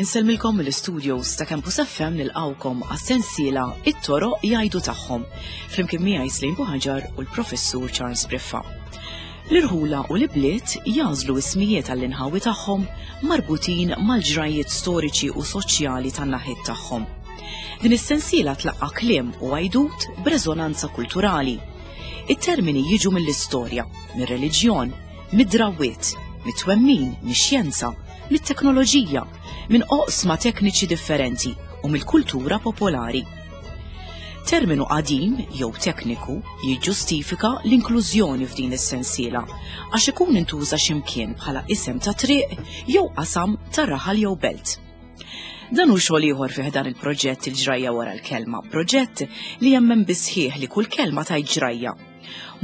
Insellmilkom mill-studios ta' Campus FM nilqawkom għas-sensiela It-toroq jgħidu tagħhom flimkien miegħi Slim Buħaġar u l-Professur Charles Briffa. L-irħula u l-ibliet jagħżlu ismijiet għall-inħawi tagħhom marbutin mal-ġrajjiet storiċi u soċjali tan-naħiet tagħhom. Din is-sensiela tlaqqa' kliem u għajdut b'reżonanza kulturali. It-termini jiġu mill-istorja, mir-reliġjon, mid-drawwiet, mit-twemmin, mix-xjenza, mit-teknoloġija, minn oqsma tekniċi differenti u mill-kultura popolari. Terminu qadim jew tekniku jiġġustifika l-inklużjoni f'din is-sensiela għax ikun intuża x'imkien bħala isem ta' triq jew qasam ta' raħal jew belt. Dan hu xogħol ieħor fi ħdan il-proġett Il-Ġrajja Wara l-Kelma, proġett li jemmen bis-sħiħ li kull kelma tgħid ġrajja.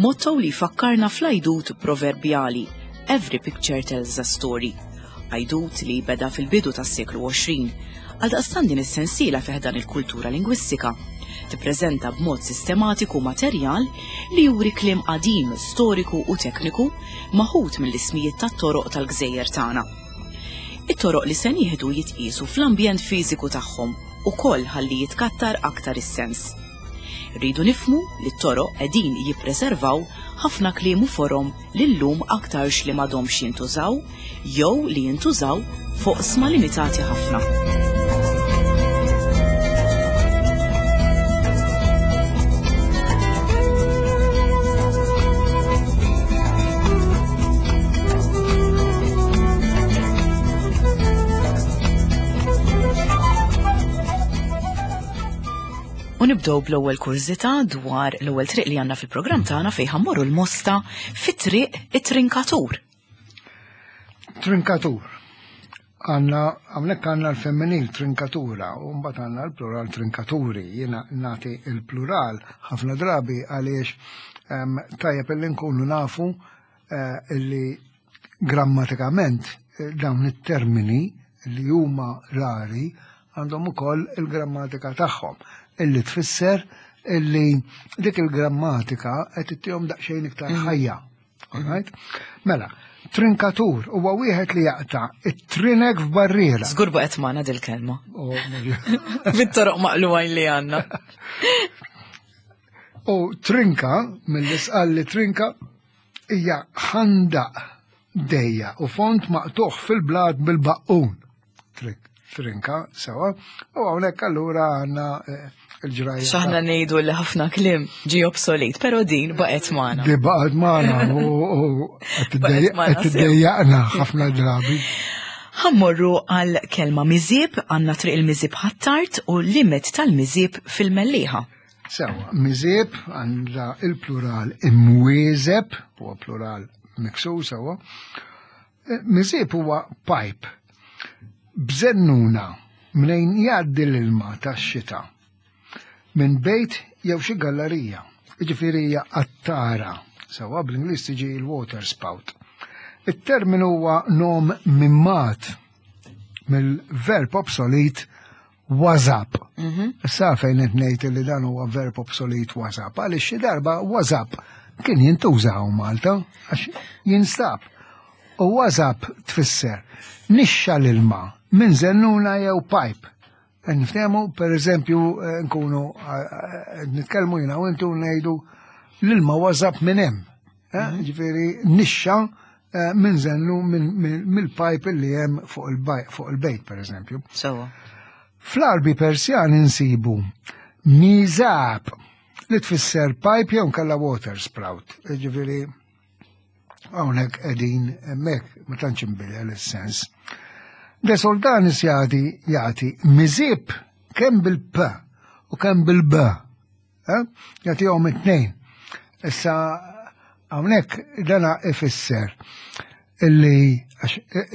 Motto li jfakkarna fl-għajdut proverbjali Every picture tells a story. Għajdut li beda fil-bidu tas-seklu 20. Għaldaqstant din is-sensiela fi ħdan il-kultura lingwistika tippreżenta b'mod sistematiku materjal li juri kliem qadim, storiku u tekniku maħud mill-ismijiet tat-toroq tal-gżejjer tagħna. It-toroq li se nieħdu jitqiesu fl-ambjent fiżiku tagħhom ukoll ħalli jitkattar aktar is-sens. Irridu nifhmu li t-toroq qegħdin jippreservaw ħafna kliem u forom li llum aktarx li m'għadhomx jintużaw jew li jintużaw f'oqsma limitati ħafna. U nibdew bl-ewwel kurżità dwar l-ewwel triq li għandna fil-programm tagħna fejn ħammorru l-Mosta fit-triq it-Trinkatur. Trinkatur. Għanna, għamlek għanna l-femminil trinkatura u mbagħad għanna l-plural trinkaturi. Jiena nagħti l-plural ħafna drabi għaliex ehm, tajjeb illi nkunu nafu eh, illi grammatikament eh, dawn it-termini li huma rari għandhom ukoll il-grammatika tagħhom illi tfisser illi dik il-grammatika qed ittihom daqsxejn iktar mm. ħajja. Alright? Mela, trinkatur huwa wieħed li jaqta' it-trinek f'barriera. Żgur baqgħet magħna dil-kelma. Oh, Bit-toroq maqlugħin li għandna. U trinka, mill-isqal li trinka, hija ħandaq dejja u font maqtuħ fil-blad bil-baqqun. Trinka, sewa, u hawnhekk allura għandna eh, il-ġrajja. X'aħna ngħidu li ħafna kliem ġi obsolet, però din baqgħet magħna. Di baqgħet magħna u qed tiddejjaqna ħafna drabi. Ħammorru għal kelma miżieb għandna triq il-miżieb ħattart u limit tal-miżieb fil-Mellieħa. Sewa, miżieb għandha il-plural imwieżeb, huwa plural miksu sewa. Eh, miżieb huwa pipe b'żennuna mnejn jgħaddi l-ilma tax-xita minn bejt jew xi gallerija. Jiġifieri hija qattara, sewwa bl-Ingliż tiġi l-water spout. It-terminu huwa nom mimmat mill-verb obsolit WhatsApp. Mhm. Issa fejn qed ngħid li dan huwa verb obsolet WhatsApp, għaliex xi darba WhatsApp kien jintuża hawn Malta għax jinstab. U WhatsApp tfisser nixxa l-ilma minn zennuna jew pipe. Niftehmu, per eżempju, eh, nkunu eh, eh, nitkellmu jiena u intu ngħidu l-ilma WhatsApp minn hemm. Mhm. Ġifieri nixxa minn zennu mill-pipe li hemm fuq il-bejt, per eżempju. Sewa. Fl-Arbi Persjan insibu mizab li tfisser pipe jew nkella water sprout. Ġifieri hawnhekk qegħdin hemmhekk ma tantx inbidel is-sens. De Soltanis jagħti jagħti miżib kemm bil-p u kemm bil-b. Eh? Jagħtihom it-tnejn. Issa hawnhekk dana ifisser illi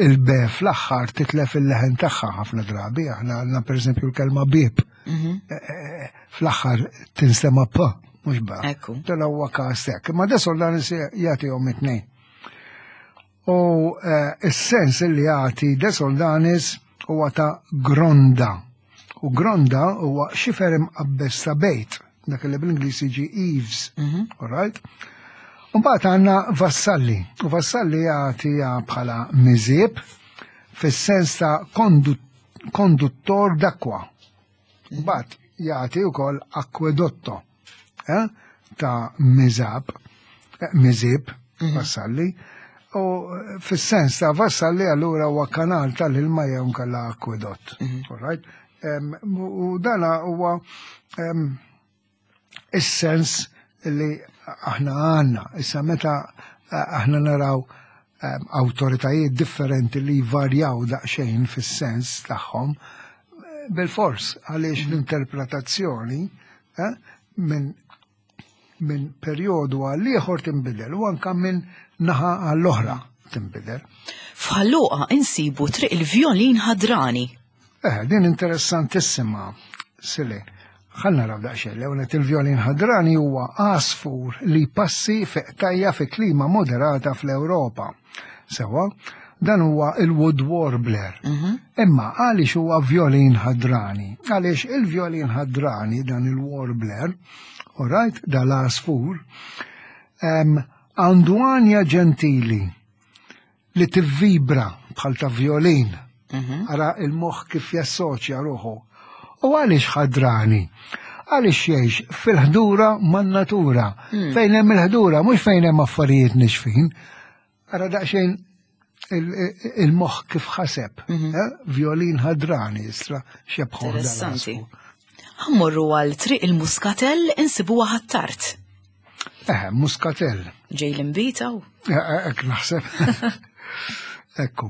il-be fl-aħħar titlef il-leħen tagħha ħafna drabi, aħna għandna pereżempju l-kelma bib. Mhm. Eh, eh, fl-aħħar tinstema' p, mhux ba. Dan huwa każ hekk. Imma desol dan jagħtihom it-tnejn. U s-sens li jagħti De Soldanis huwa ta' gronda. U gronda huwa xifer imqabbeż ta' bejt. dak li bl-Ingliż jiġi eaves. All right? Mbagħad għandna Vassalli, u Vassalli jagħtiha bħala miżieb fis-sens ta' konduttor d'acqua. Mbagħad jagħti wkoll acquedotto eh, ta' miżab, eh, miżib, Vassalli, u fis-sens ta' Vassalli allura huwa kanal tal-ilma jew nkella akkwedott. All right? U dana huwa is-sens li aħna għandna. Issa meta eh, aħna naraw awtoritajiet differenti li jvarjaw daqsxejn fis-sens tagħhom, eh, bil-fors għaliex l-interpretazzjoni eh, minn min perjodu għal ieħor tinbidel u anka minn naħa għall-oħra tinbidel. F'Ħal Luqa insibu triq il-Vjolin Ħadrani. Eh, din interessantissima, Sile. Ħa naraw daqsxejn, l il-vjolin ħadrani huwa għasfur li passi fi qtajja fi klima moderata fl-Ewropa. Sewa, dan huwa il-wood warbler. Imma għaliex huwa vjolin ħadrani? Għaliex il-vjolin ħadrani dan il-warbler, alright, dal-għasfur, għandu għanja ġentili li tivvibra bħal ta' violin. Ara il-moħħ kif jassoċja ruħu. U għaliex ħadrani? Għaliex jgħix fil-ħdura man-natura. Fejn hemm il-ħdura, mhux fejn hemm affarijiet nixfin. Ara daqsxejn il-moħħ kif ħaseb. Eh? Violin ħadrani, istra xebħu. Interessanti. Ħa mmorru għal triq il-Muskatell insibuha Ħ'Attard. Eh, Muskatell. Ġej l-inbid u? Ek naħseb. Ekku.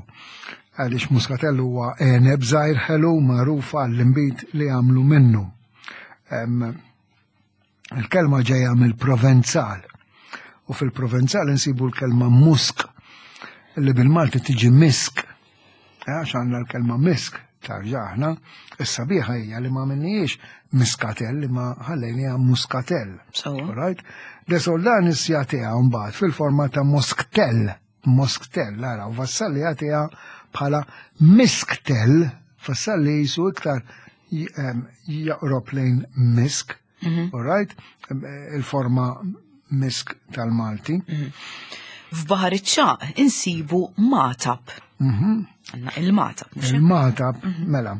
Għaliex Muskatell huwa għeneb żgħir ħelu magħruf għall-inbid li għamlu minnu. Il-kelma ġejja mill-Provenzal. U fil-Provenzal insibu l-kelma musk li bil-Malti tiġi misk. Għax għandna l-kelma misk tarġa aħna, is-sabiħa hija li ma minniex miskatell li ma ħallejniha muskatell. Right? De Soldanis jagħtiha mbagħad fil-forma ta' mosktell, mosktell, ara, u Vassalli jagħtiha bħala misktell, Vassalli jisu iktar jaqrob lejn misk, all right? Il-forma misk tal-Malti. F'Baħar iċ-Ċagħaq insibu Magħtab. Għandna il-Magħtab, mhux hekk? Il-Magħtab, mela.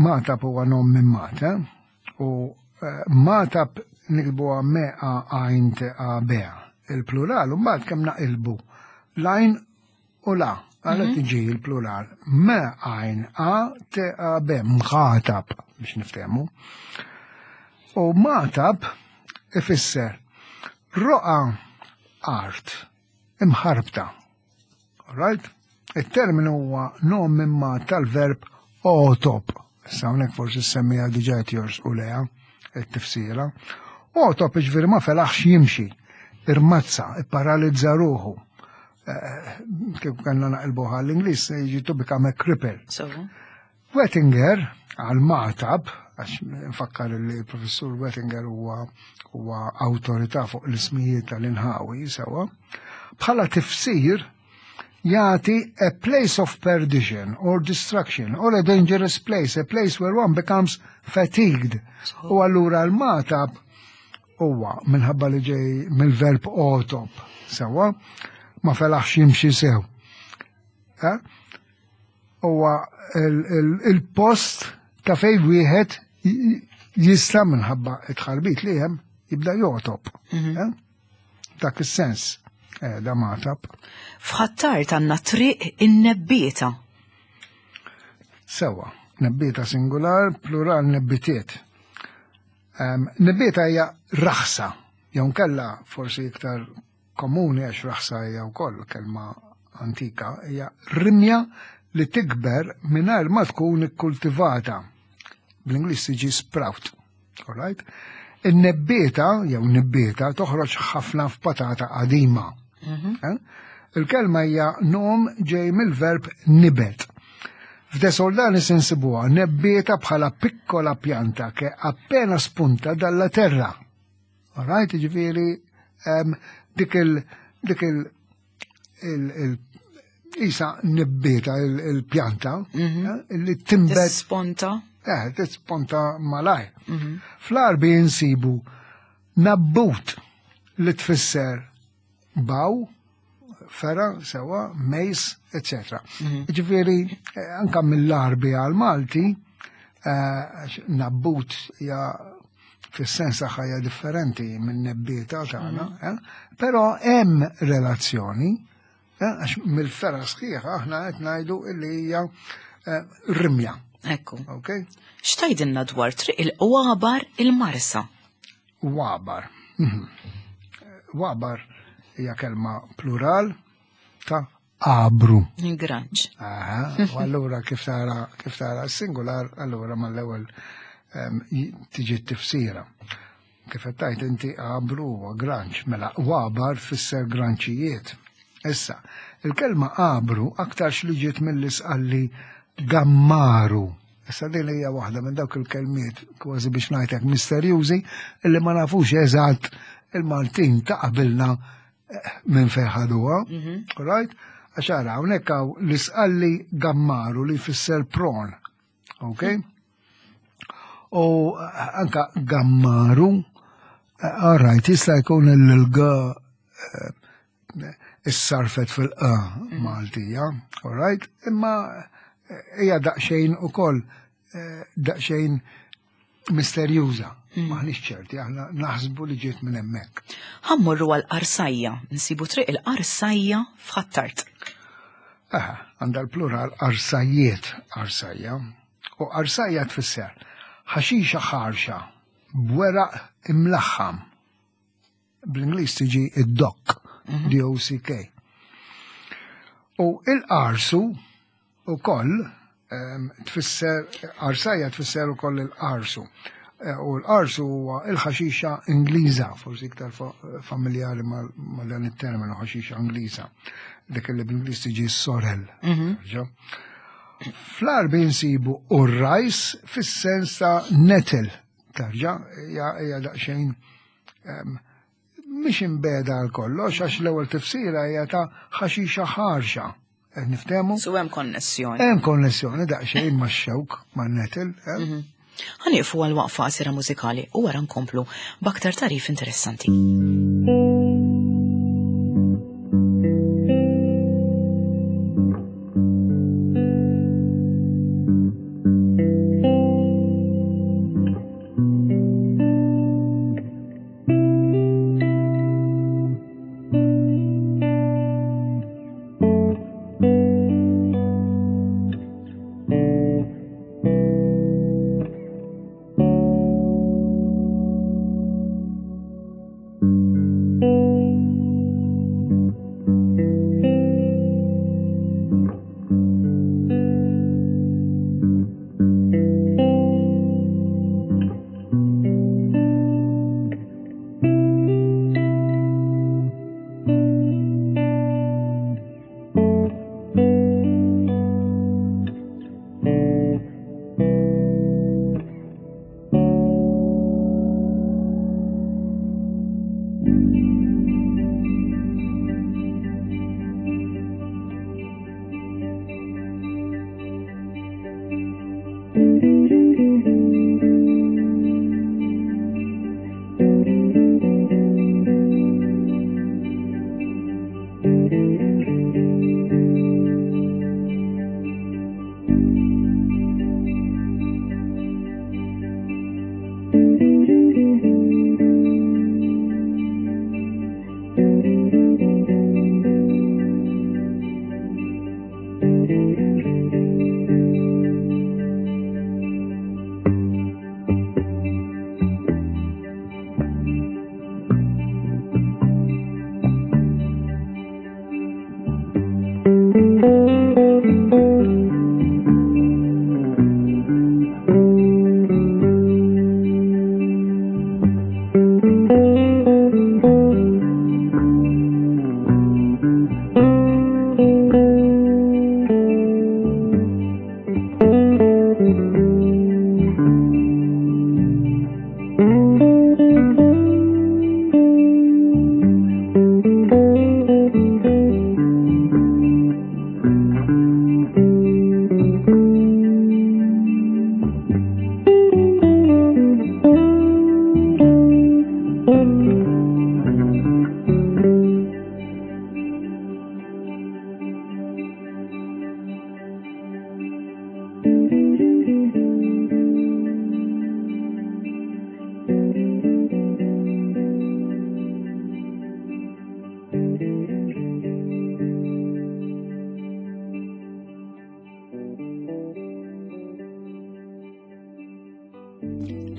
Magħtab huwa nom minn Mata u Magħtab nikbu me a għajn te a b. Il-plural, u mbagħad kemm naqilbu l-għajn u la, għala tiġi il-plural. Me għajn a te a b, mħatab, biex niftehmu. U Magħtab ifisser roqa art imħarbta. Right? Il-terminu huwa nom mimma tal-verb otop. Issa hawnhekk forsi semmija diġà jors u leha it-tifsira. Otop ġifieri ma felaħx jimxi, irmazza, ipparalizza ruħu. Kif kellna naqilbu għall-Ingliż, jiġi to become a cripple. Wettinger għal Magħtab, għax nfakkar li professur Wettinger huwa awtorità fuq l-ismijiet tal-inħawi sewa, bħala tifsir jagħti a place of perdition or destruction or a dangerous place, a place where one becomes fatigued. U allura l-Magħtab huwa minħabba li ġej mill-verb otop, sewa, ma felaħx jimxi sew. Eh? Huwa il-post ta' fejn wieħed jista' minħabba it-tħarbit li hemm jibda jotob. Eh? Dak is-sens da Magħtab. F'Ħ'Attard għandna triq in-Nebbieta. Sewa, nebbieta singular, plural nebbitiet. Nebbieta hija raħsa, jew nkella forsi iktar komuni għax raħsa hija wkoll kelma antika, hija rimja li tikber mingħajr ma tkun ikkultivata. Bl-Ingliż tiġi sprout. All right? In-nebbieta jew nibbieta toħroġ ħafna f'patata qadima. Eh? Il-kelma hija nom ġej mill-verb nibet. F'De Soldanis insibuha nebbieta bħala piccola pianta che appena spunta dalla terra. All right, ġifieri dik il dik il il il isa nibbieta il-pjanta eh, li timbet Sponta. Eh, tisponta malaj. Fl-Arbi insibu nabbut li tfisser baw, fera, sewa, mejs, etc. Ġifieri, anka mill-Arbi għal-Malti, nabbut ja fis-sens tagħha hija differenti minn nebbieta tagħna, però hemm relazzjoni, għax mill-fera sħiħa aħna qed ngħidu li hija rimja. Ekku. Ok? X'tajdilna dwar triq il-Wabar il-Marsa? Wabar. Wabar hija kelma plural ta' abru. Ingranġ. Aha, u allura kif tara kif tara singular, allura mal-ewwel tiġi t-tifsira. Kif qed tgħid inti abru huwa granċ, mela wabar fisser granċijiet. Issa, il-kelma abru aktarx li ġiet mill-isqalli gammaru. Issa din hija waħda minn dawk il-kelmiet kważi biex ngħidlek misterjużi illi ma nafux eżatt il-Maltin ta' qabilna minn fejn ħaduha, right? Għax ara hawnhekk hawn l-isqalli gammaru li jfisser pron. Ok? U anka gammaru, all right, jista' jkun il-g issarfet fil-q Maltija, all right? Imma hija daqsxejn ukoll daqsxejn misterjuża. Maħniex ċerti, aħna naħsbu li ġiet minn hemmhekk. Ħa mmorru għal Qarsajja, nsibu triq il-Qarsajja f'Ħ'Attard. Aha, għandha l-plural qarsajjiet, qarsajja. U qarsajja tfisser ħaxixa ħarxa b'weraq imlaħħam. Bl-Ingliż tiġi id-dock, D-O-C-K. U il-qarsu u koll tfisser, qarsajja tfisser u koll il-qarsu. U l-qarsu huwa il-ħaxixa Ingliża, forsi iktar familjari ma' dan it-terminu ħaxixa Ingliża, dik li bl-Ingliż tiġi sorrel. Ġa. Fl-Arbi nsibu u-rajs fis-sens ta' nettle, tarġa, hija daqsxejn mhix imbeda għal kollox, għax l-ewwel tifsira hija ta' ħaxixa ħarxa. Qed niftehmu? So hemm konnessjoni. Hemm konnessjoni daqsxejn max-xewk, man-nettle. Ħa nieqfu għal waqfa qasira mużikali u wara nkomplu b'aktar tarif interessanti.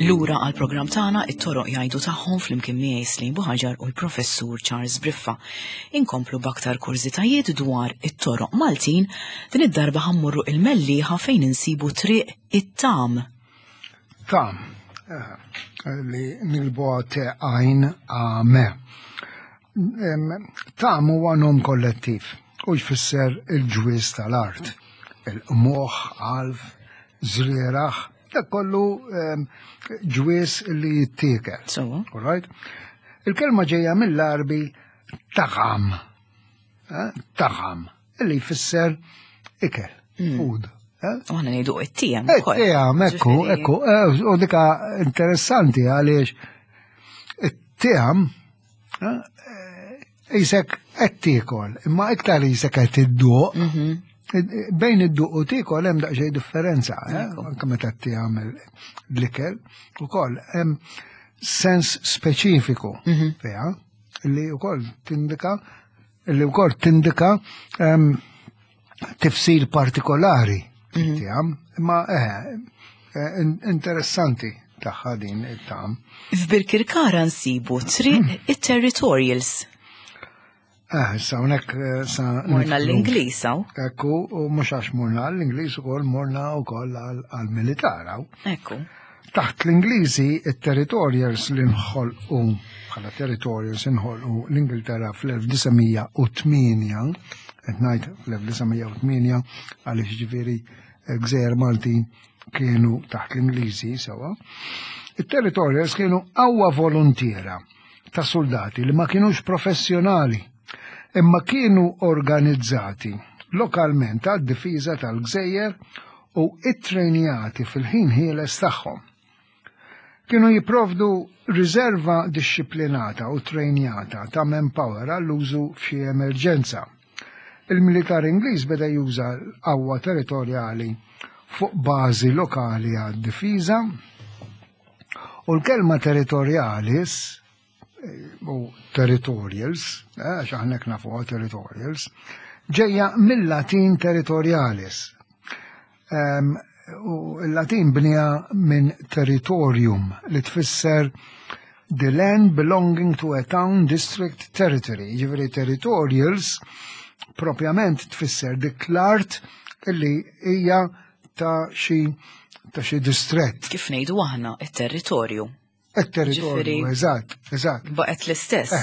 Lura għal programm tagħna it-toroq jgħidu tagħhom flimkien miegħi Slim Buħaġar u l-Professur Charles Briffa. Inkomplu b'aktar kurżitajiet dwar it-toroq Maltin din id-darba ħammurru il-Mellieħa fejn insibu triq it-Tam. Tam, eh, li nilbu te għajn għame. Tam huwa nom kollettiv u jfisser il-ġwiż tal-art, il-qmuħ, għalf, żrieraħ, dak kollu ġwiż li jittiekel. All right? Il-kelma ġejja mill-Arbi taħam, eh, taħam, li jfisser ikel, mm. food. Eh? U għana nejdu it-tijam. It-tijam, ekku, ekku. Eh, u dika interessanti għaliex it-tijam Isek qed tiekol, imma iktar isek qed idduq. Mhm. Bejn id-duq u tiekol hemm daqsxejn differenza, eh? anke meta tagħmel l-ikel ukoll hemm sens speċifiku mhm. fiha li wkoll tindika li wkoll tindika ehm, tifsir partikolari mhm. tiegħem, imma eh, eh, interessanti tagħha din it-tam. F'Birkirkara nsibu triq mhm. it-territorials. Eh, sa hawnhekk eh, sa Morna l-Ingliż hawn. Ekku, u mhux għax morna l-Ingliż ukoll morna wkoll għall-militar hawn. Ekku. Taħt l-Ingliżi, it-territorials li nħolqu bħala territorials inħolqu l-Ingilterra fl-1908, qed ngħid fl-1908 għaliex ġifieri eh, gżejjer Maltin kienu taħt l-Ingliżi sewa. It-territorials kienu qawwa volontiera ta' soldati li ma kienux professjonali imma kienu organizzati lokalment għad-difiża tal-gżejjer u ittrejnjati fil-ħin ħieles tagħhom. Kienu jipprovdu riserva dixxiplinata u trejnjata ta' manpower għall-użu f'xi emerġenza. Il-militar Ingliż beda juża l-qawwa territorjali fuq bażi lokali għad-difiża u l-kelma territorialis u territorials, eh, għax aħna nafu territorials, ġejja mill-Latin territorialis. U l-Latin bnija minn territorium li tfisser the land belonging to a town district territory. Ġifieri territorials propjament tfisser dik l-art illi hija ta' xi ta' xi distrett. Kif ngħidu aħna it-territorju. Il-territorju, eżatt, eżatt. Baqgħet l-istess.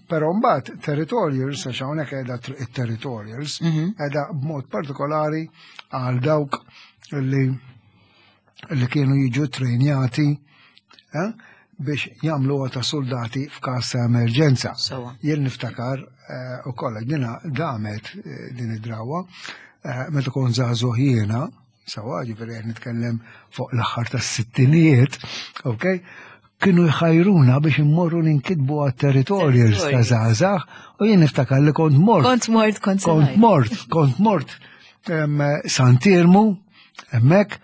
Però mbagħad territorials, għax hawnhekk qiegħda it-territorials, mhm. qiegħda b'mod partikolari għal dawk li li kienu jiġu trejnjati eh, biex jagħmlu ta' soldati f'każ ta' emerġenza. Jien niftakar eh, ukoll dina damet eh, din id-drawa meta kont żagħżugħ jiena, Sawa, ġifieri qed nitkellem fuq l-aħħar tas-sittinijiet, ok? Kienu jħajruna biex immorru ninkitbu għat-territorials ta' żgħażagħ u jien niftakar li kont mort. Kont mort, kont kont mort, kont mort Santirmu, hemmhekk,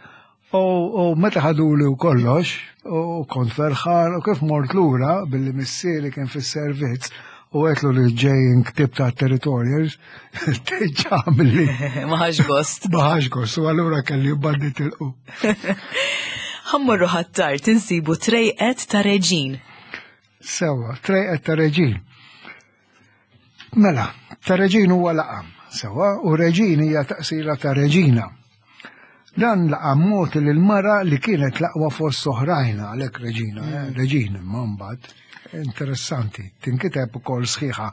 u meta ħaduli u kollox, u kont ferħan, u kif mort lura billi missieri kien fis-servizz, u għetlu li ġej ktib ta' territorials, ġamli. Maħax gost. Maħax gost, u għallura kelli baddi tilqu. Ħammurru ħattar tinsibu trejqet ta' reġin. Sewa, trejqet ta' reġin. Mela, ta' reġin huwa laqam, sewa, u reġin hija taqsira ta' reġina. Dan laqam mogħti lil mara li kienet l-aqwa fost oħrajn għalhekk reġina, eh, mm. reġina imma mbagħad interessanti, tinkiteb ukoll sħiħa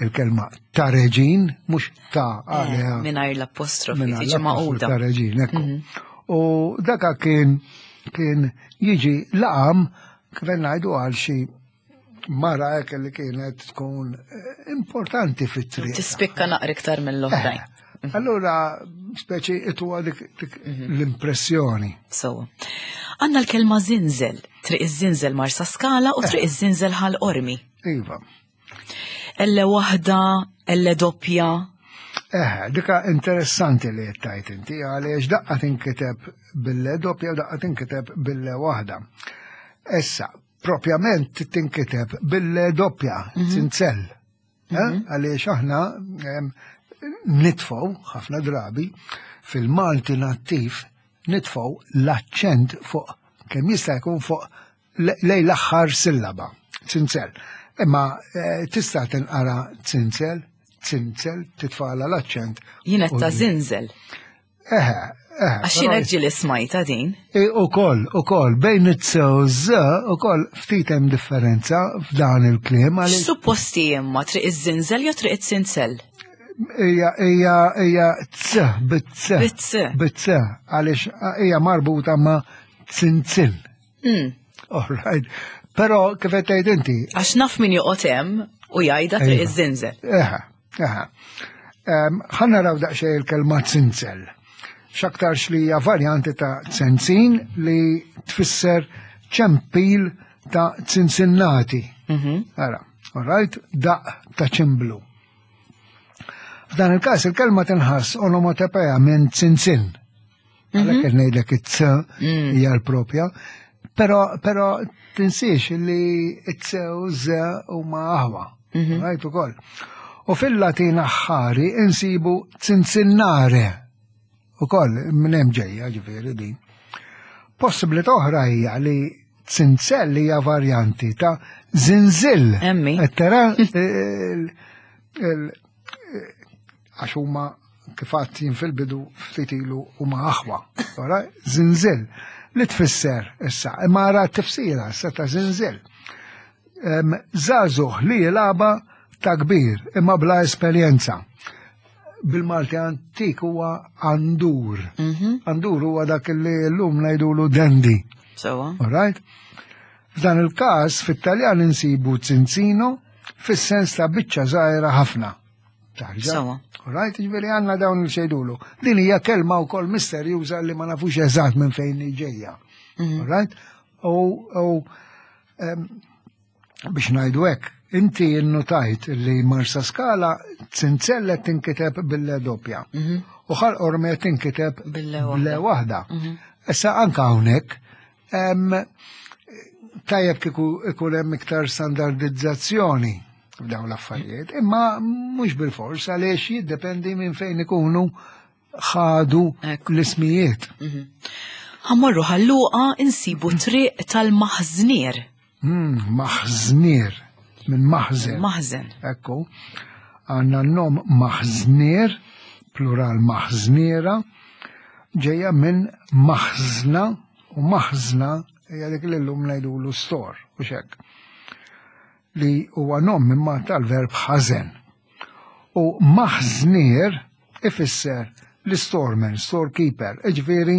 il-kelma ta' reġin, mhux ta' eh, għaliha. Mingħajr l-apostrofi, tiġi maquda. Ta' reġin, ekku. Mhm. U daka kien kien jiġi laqam kif ngħidu għal xi mara hekk li kienet tkun eh, importanti fit-triq. Tispikka naqra iktar mill-oħrajn. Eh, allura, speċi ituwa dik mhm. l-impressjoni. So, għanna l-kelma zinzel, triq iż-zinzel Marsa Skala u triq eh. iż-zinzel ħal Ormi. Iva. Elle waħda, elle doppja. Eh, dika interessanti li jettajt inti, għaliex daqqa tinkiteb bille doppja u daqqa tinkiteb bille waħda. Issa, propjament tinkiteb bil doppja, mhm. sincell. Eh? Mhm. Għaliex aħna nitfgħu ħafna drabi fil-Malti nattiv nitfgħu l-aċċent fuq kemm jista' jkun fuq lej l-aħħar sillaba, zinzel. Imma eh, tista' tinqara zinzel, zinzel, titfala l-aċċent. Jien qed ta' zinzel. Eħe, eħe. Għax jien hekk ġieli smajta din. E, ukoll, ukoll, bejn it-c u z, ukoll ftit hemm differenza f'dan il-kliem. Supposti imma triq iż-zinzel jew triq it-zinzel? Ija, ija, ija c, bit-c. Bit-c. Bit-c, għaliex hija marbuta ma' zinzin. All right. Però kif qed tgħid inti. Għax naf min joqgħod hemm u jgħidha triq iva. iż-żinżel. Eħe, eħe. Ħa naraw daqsxejn il-kelma zinzel. X'aktarx li hija varjanti ta' zenzin li tfisser ċempil ta' zinzinnati. Mhm. Ara, all right, daq ta' ċimblu. F'dan il-każ il-kelma tinħass onomatopea minn zinzin. Għalhekk qed ngħidlek it-c mm. hija l-propja. Però però tinsiex li it-c u z huma aħwa. Mhm. Rajt ukoll. U fil-Latin aħħari insibu cinzinnare. Ukoll minn hemm ġejja ġifieri din. Possibilità oħra hija li zinzell hija varjanti ta' zinzil. Emmi. Tara għax huma kif għadt jien fil-bidu ftit ilu huma aħwa. Ora, zinzil li tfisser issa, imma ara tifsira issa ta' zinzil. Żagħżugħ li jilgħaba ta' kbir imma bla esperjenza. Bil-Malti antik huwa għandur. Mhm. Għandur huwa dak li llum ngħidulu dendi. Sewa. All right? F'dan il-każ fit-Taljan insibu zinzino fis-sens ta' biċċa żgħira ħafna. Sawa. Right, ġifieri għandna dawn il xejdulu. Din hija kelma wkoll misterjuża li ma nafux eżatt minn fejn ġejja. Mhm. Right? U biex ngħidu hekk, inti innotajt li Marsa Skala zinzelle tinkiteb bil-le doppja. Mhm. U ħal orme tinkiteb bil-le waħda. Mhm. Issa anka hawnhekk tajjeb kieku ikun hemm iktar standardizzazzjoni f'dawn l-affarijiet, imma mhux bil-fors għaliex jiddependi minn fejn ikunu ħadu l-ismijiet. Mhm. Ħammorru ħalluqa insibu triq tal-maħżnier. Hmm, maħżnier, minn maħżen. Maħżen. Ekku, għandna n-nom maħżnier, plural maħżniera, ġejja minn maħżna u maħżna hija dik li llum ngħidulu store u xek. Li huwa nom imma tal-verb ħażen. U maħżnier ifisser l-storeman, storekeeper, iġifieri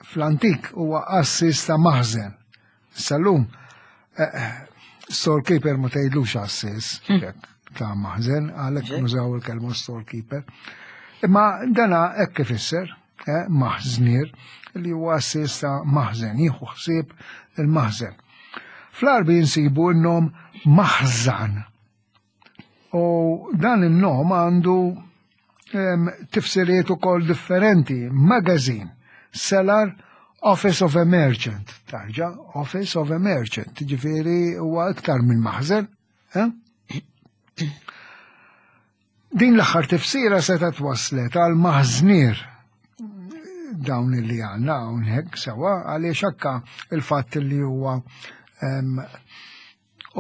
fl-antik huwa qassis ta' maħżen. Sal-lum, eh, eh, storekeeper ma tgħidlux għassis, hmm. ta' maħżen, għalhekk nużaw il-kelma storekeeper. Imma dana hekk ifisser, eh, maħżnier, li huwa għassis ta' maħżen, jieħu ħsieb il-maħżen. Fl-Arbi nsibu n-nom maħżan. U dan in-nom għandu tifsiriet ukoll differenti. Magazine, cellar, Office of a Merchant, tarġa, Office of a Merchant, ġifiri huwa iktar minn maħżen. Eh? Din l-aħħar tifsira seta twaslet għal maħżnier dawn li għanna hawnhekk sewa għaliex akka il-fatt li huwa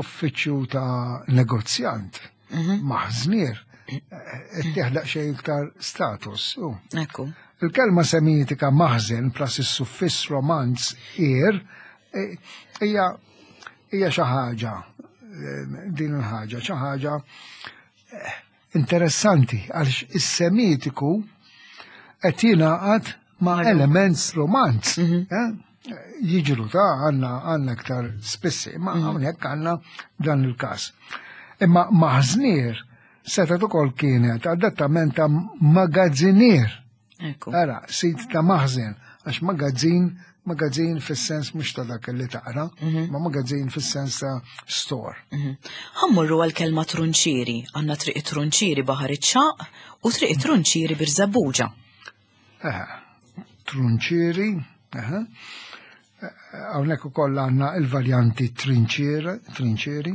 uffiċċju ta' negozjant, mhm. maħżnier, qed teħlaq xejn iktar status. Ekku. Il-kelma semitika maħżen plus is-suffiss romanz ir e, hija hija xi ħaġa e, din il-ħaġa xi ħaġa e, interessanti għaliex is-semitiku qed jingħaqad ma' element romanz. Mhm. Eh? Jiġru ta' għanna għanna iktar spissi, ma' mhm. hawnhekk għanna dan il-każ. Imma maħżnier setgħet ukoll kienet adattament ta' magazzinier. Ara, sit ta' maħżen, għax magazzin, magazzin fis-sens mhux ta' dak li taqra, mhm. ma magazzin fis-sens ta' store. Mhm. Ħammurru għal-kelma trunċieri, għandna triq trunċieri baħar iċ-ċaq u triq trunċieri birżabuġa. Trunċieri, Hawnhekk ukoll għandna il-varjanti trinċieri, trinċieri.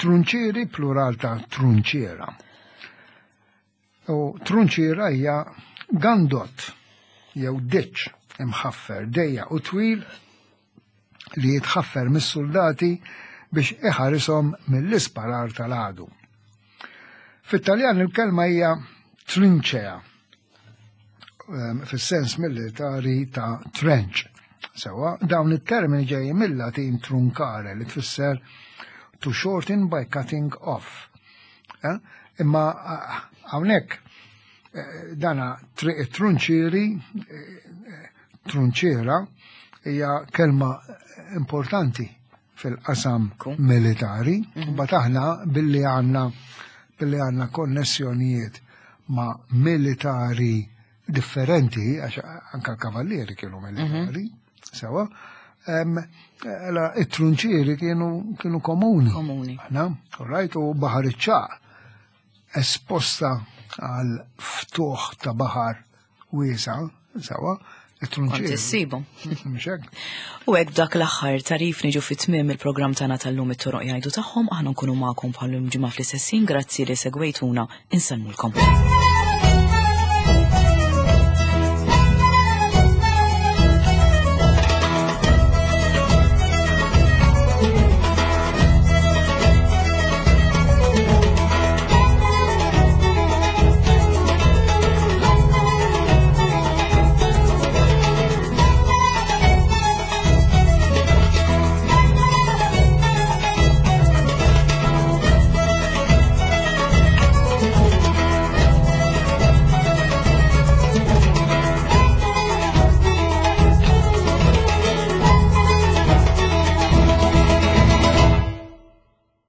Trunċieri plural ta' trunċiera. U trunċiera hija gandot jew ditch imħaffer dejja u twil. li jitħaffer mis-suldati biex iħarishom mill-isparar tal-għadu. Fit-Taljan il-kelma hija trincea, ehm, fis-sens militari ta' trench. Sewa, dawn it-termini ġejjin mill-Latin truncare li tfisser to shorten by cutting off. Eh? Imma eh, hawnhekk eh, dana triq it-trunċieri, trunċiera hija kelma importanti fil-qasam militari, mhm. bat aħna billi għandna billi għandna konnessjonijiet ma' militari differenti, għax anka l-kavallieri kienu militari, mhm. sewa, Ela, it-trunċieri kienu kienu komuni. Komuni. Aħna, all right, u baħar iċ-ċaq esposta għal ftuħ ta' baħar wiesa, sewa, it-trunċieri. Kont issibhom. Mhux hekk? U hekk b'dak l-aħħar tarif niġu fi tmiem il-programm tagħna tal-lum it-toroq jgħidu tagħhom, aħna nkunu magħkom bħal-lum ġimgħa fl-istess ħin, grazzi li segwejtuna, insellmulkom.